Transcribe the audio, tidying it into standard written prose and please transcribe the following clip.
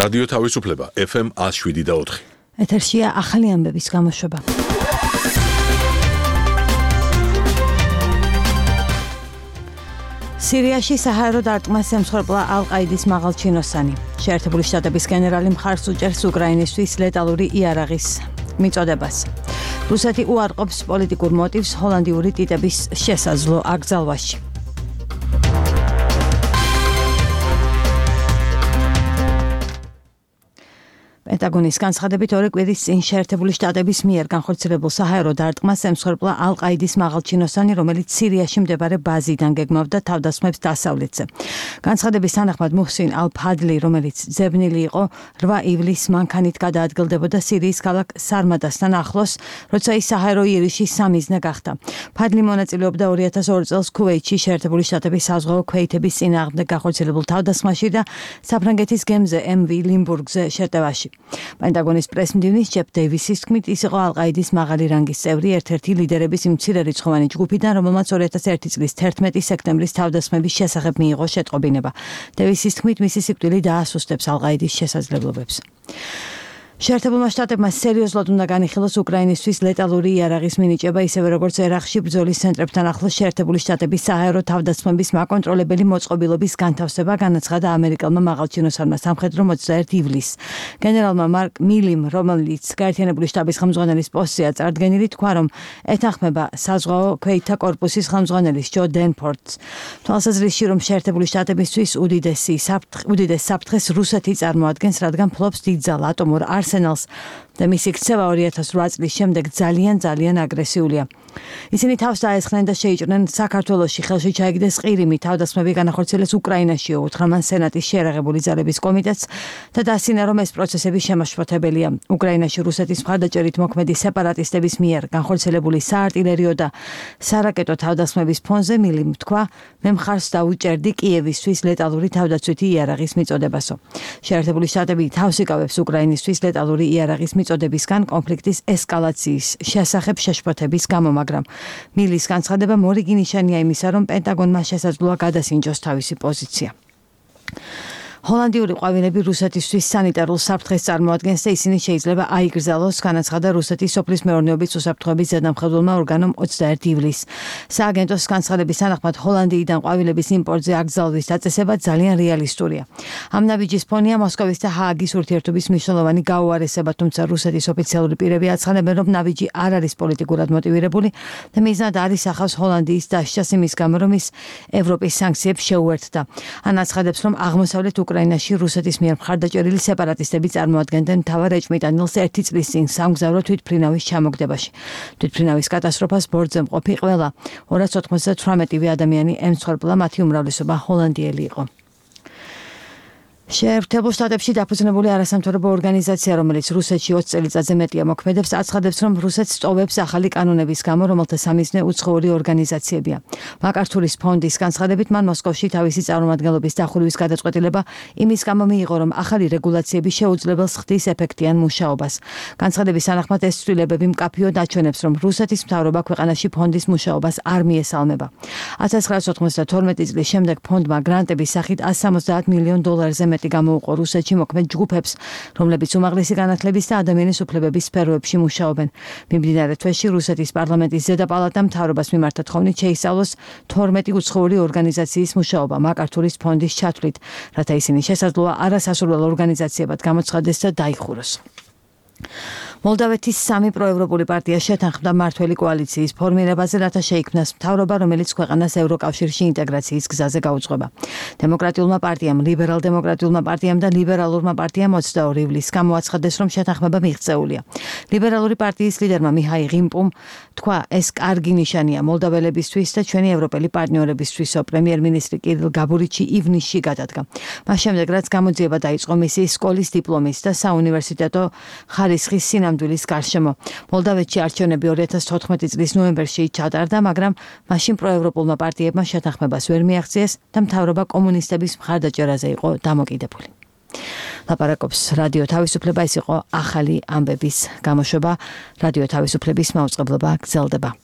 რადიო თავისუფლება FM 107.4. ეთერშია ახალი ამბების გამოშვება. სირიაში საჰაერო დარტყმას ემსხვერპლა ალ-ყაიდის მაღალჩინოსანი. შეერთებული შტატების გენერალი მხარს უჭერს უკრაინისთვის ლეტალური იარაღის მიწოდებას. რუსეთი უარყოფს პოლიტიკურ მოტივს ჰოლანდიური ტიტების შესაძლო აკრძალვაში. პენტაგონის განცხადებით ორი კვირის წინ შეერთებული შტატების მიერ განხორციელებულ საჰაერო დარტყმას ემსხვერპლა ალ-ყაიდის მაღალჩინოსანი, რომელიც სირიაში მდებარე ბაზიდან გეგმავდა თავდასხმებს დასავლეთზე. განცხადების თანახმად მუჰსინ ალ-ფადლი, რომელიც ძებნილი იყო 8 ივლისს მანქანით გადაადგილდებოდა სირიის ქალაქ სარმადასთან ახლოს, როცა ის საჰაერო იერიშის სამიზნე გახდა. ფადლი მონაწილეობდა 2002 წელს ქუვეითში შეერთებული შტატების საზღვაო ქვეითების წინააღმდეგ განხორციელებულ თავდასხმაში და საფრანგეთის გემზე MV ლიმბურგზე შეტევაში. პენტაგონის პრესმდივნის ჯეფ დეივისის თქმით, ის იყო ალ-ყაიდის მაღალი რანგის წევრი, ერთ-ერთი ლიდერების მცირერიცხოვანი ჯგუფიდან, რომელმაც 2001 წლის 11 სექტემბრის თავდასხმების შესახებ მიიღო შეტყობინება. დეივისის თქმით, მისი სიკვდილი დაასუსტებს ალ-ყაიდის შესაძლებლობებს. შეერთებულმა შტატებმა სერიოზულად უნდა განიხილოს უკრაინისთვის ლეტალური იარაღის მინიჭება, ისევე როგორც ერაყში ბრძოლის ცენტრებთან ახლოს შეერთებული შტატების საჰაერო თავდასხმების მაკონტროლებელი მოწყობილობის განთავსება, განაცხადა ამერიკელმა მაღალჩინოსანმა სამხედრო 21 ივლისს. გენერალმა მარკ მილიმ, რომელიც გაერთიანებული შტატების ხელმძღვანელის პოსტზეა წარდგენილი, თქვა, რომ ეთანხმება საზღვაო ქვეითთა კორპუსის ხელმძღვანელის ჯო დენფორდს. თვალსაზრისში, რომ შეერთებული შტატებისთვის უდიდეს საფრთხეს რუსეთი წარმოადგენს, რადგან ფლობს დიდძალ ატომურ არსენალს და მისი ქცევა 2008 წლის შემდეგ ძალიან აგრესიულია. ისინი თავს დაესხნენ და შეიჭრნენ საქართველოში ხელში ჩაიგდეს ყირიმი, თავდასხმები განახორციელეს უკრაინაშიო, უთხრა მან სენატის შეერაღებული ძალების კომიტეტს და დასინა, რომ ეს პროცესები შემაშფოთებელია. უკრაინაში რუსეთის მხარდაჭერით მოქმედი სეპარატისტების მიერ განხორციელებული საარტილერიო და სარაკეტო თავდასხმების ფონზე მილიმ თქვა, მე მხარს დავუჭერდი კიევისთვის ლეტალური თავდაცვითი იარაღის მიწოდებასო. შეერთებული შტატები თავს იკავებს უკრაინისთვის ლეტალური იარაღის მიწოდებისგან კონფლიქტის ესკალაციის შესახებ შეშფოთების გამო, მაგრამ მილის განცხადება მორიგი ნიშანია იმისა, რომ პენტაგონმა შესაძლოა გადასინჯოს თავისი პოზიცია. ჰოლანდიური ყვავილები რუსეთისთვის სანიტარულ საფრთხეს წარმოადგენს და ისინი შეიძლება აიგრძალოს, განაცხადა რუსეთის სოფლის მეურნეობის უსაფრთხოების ზედამხედველმა ორგანომ 21 ივლისს. სააგენტოს განცხადების თანახმად ჰოლანდიიდან ყვავილების იმპორტზე აკრძალვის დაწესება ძალიან რეალისტურია. ამ ნაბიჯის ფონია მოსკოვის და ჰააგის ურთიერთობის მნიშვნელოვანი გაუარესება, თუმცა რუსეთის ოფიციალური პირები აცხადებენ, რომ ნაბიჯი არ არის პოლიტიკურად მოტივირებული და მიზნად არ ისახავს ჰოლანდიის დასჯას იმის გამო, რომ ის ევროპის სანქციებს შეუერთდა. ან აცხადებს, რომ აღმოსავლეთ უკრაინაში რუსეთის მიერ მხარდაჭერილი სეპარატისტები წარმოადგენდნენ მთავარ ეჭვმიტანილს 1 წლის წინ სამგზავრო თვითმფრინავის ჩამოგდებაში. თვითმფრინავის კატასტროფას ბორტზე მყოფი ყველა 298 ადამიანი ემსხვერპლა, მათი უმრავლესობა ჰოლანდიელი იყო. შეერთებულ შტატებში დაფუძნებული არასამთავრობო ორგანიზაცია, რომელიც რუსეთში 20 წელიწადზე მეტია მოქმედებს, აცხადებს, რომ რუსეთს სწოვებს ახალი კანონების გამო, რომელთა სამიზნე უცხოური ორგანიზაციებია. მაკართურის ფონდის განცხადებით, მან მოსკოვში თავისი წარმომადგენლობის დახურვის გადაწყვეტილება იმის გამო მიიღო, რომ ახალი რეგულაციები შეუძლებელს ხდის ეფექტიან მუშაობას. განცხადების თანახმად ეს ცვლილებები მკაფიოდ აჩვენებს, რომ რუსეთის მთავრობა ქვეყანაში ფონდის მუშაობას არ მიესალმება. 1992 წლის შემდეგ ფონდმა გრანტების სახით $170 მილიონ მეტი გამოუყო რუსეთში მოქმედ ჯგუფებს, რომლებიც უმაღლესი განათლების და ადამიანის უფლებების სფეროებში მუშაობენ. მიმდინარე თვეში რუსეთის პარლამენტის ზედა პალატამ მთავრობას მიმართა თხოვნით შეისწავლოს 12 უცხოური ორგანიზაციის მუშაობა მაკართურის ფონდის ჩათვლით, რათა ისინი შესაძლოა არასასურველ ორგანიზაციებად გამოცხადდეს და დაიხუროს. მოლდავეთის 3 პროევროპული პარტია შეთანხმდა მმართველი კოალიციის ფორმირებაზე, რათა შეიქმნას მთავრობა, რომელიც ქვეყანას ევროკავშირში ინტეგრაციის გზაზე გაუძღვება. დემოკრატიულმა პარტიამ, ლიბერალ-დემოკრატიულმა პარტიამ და ლიბერალურმა პარტიამ 22 ივლისს გამოაცხადეს, რომ შეთანხმება მიღწეულია. ლიბერალური პარტიის ლიდერმა მიჰაილ ღიმპუმ თქვა, ეს კარგი ნიშანია მოლდაველებისთვის და ჩვენი ევროპელი პარტნიორებისთვისო. პრემიერ-მინისტრი კირილ გაბურიჩი ივნისში გადადგა. მას შემდეგ, რაც გამოძიება დაიწყო მისი სკოლის დიპლომის და საუნივერსიტეტო ხარისხის სინამდვილის გარშემო. მოლდავეთში არჩევნები 2014 წლის ნოემბერში ჩატარდა, მაგრამ მაშინ პროევროპულმა პარტიებმა შეთანხმებას ვერ მიაღწიეს და მთავრობა კომუნისტების მხარდაჭერაზე იყო დამოკიდებული. ლაპარაკობს რადიო თავისუფლება, ეს იყო ახალი ამბების გამოშვება. რადიო თავისუფლების მაუწყებლობა გრძელდება.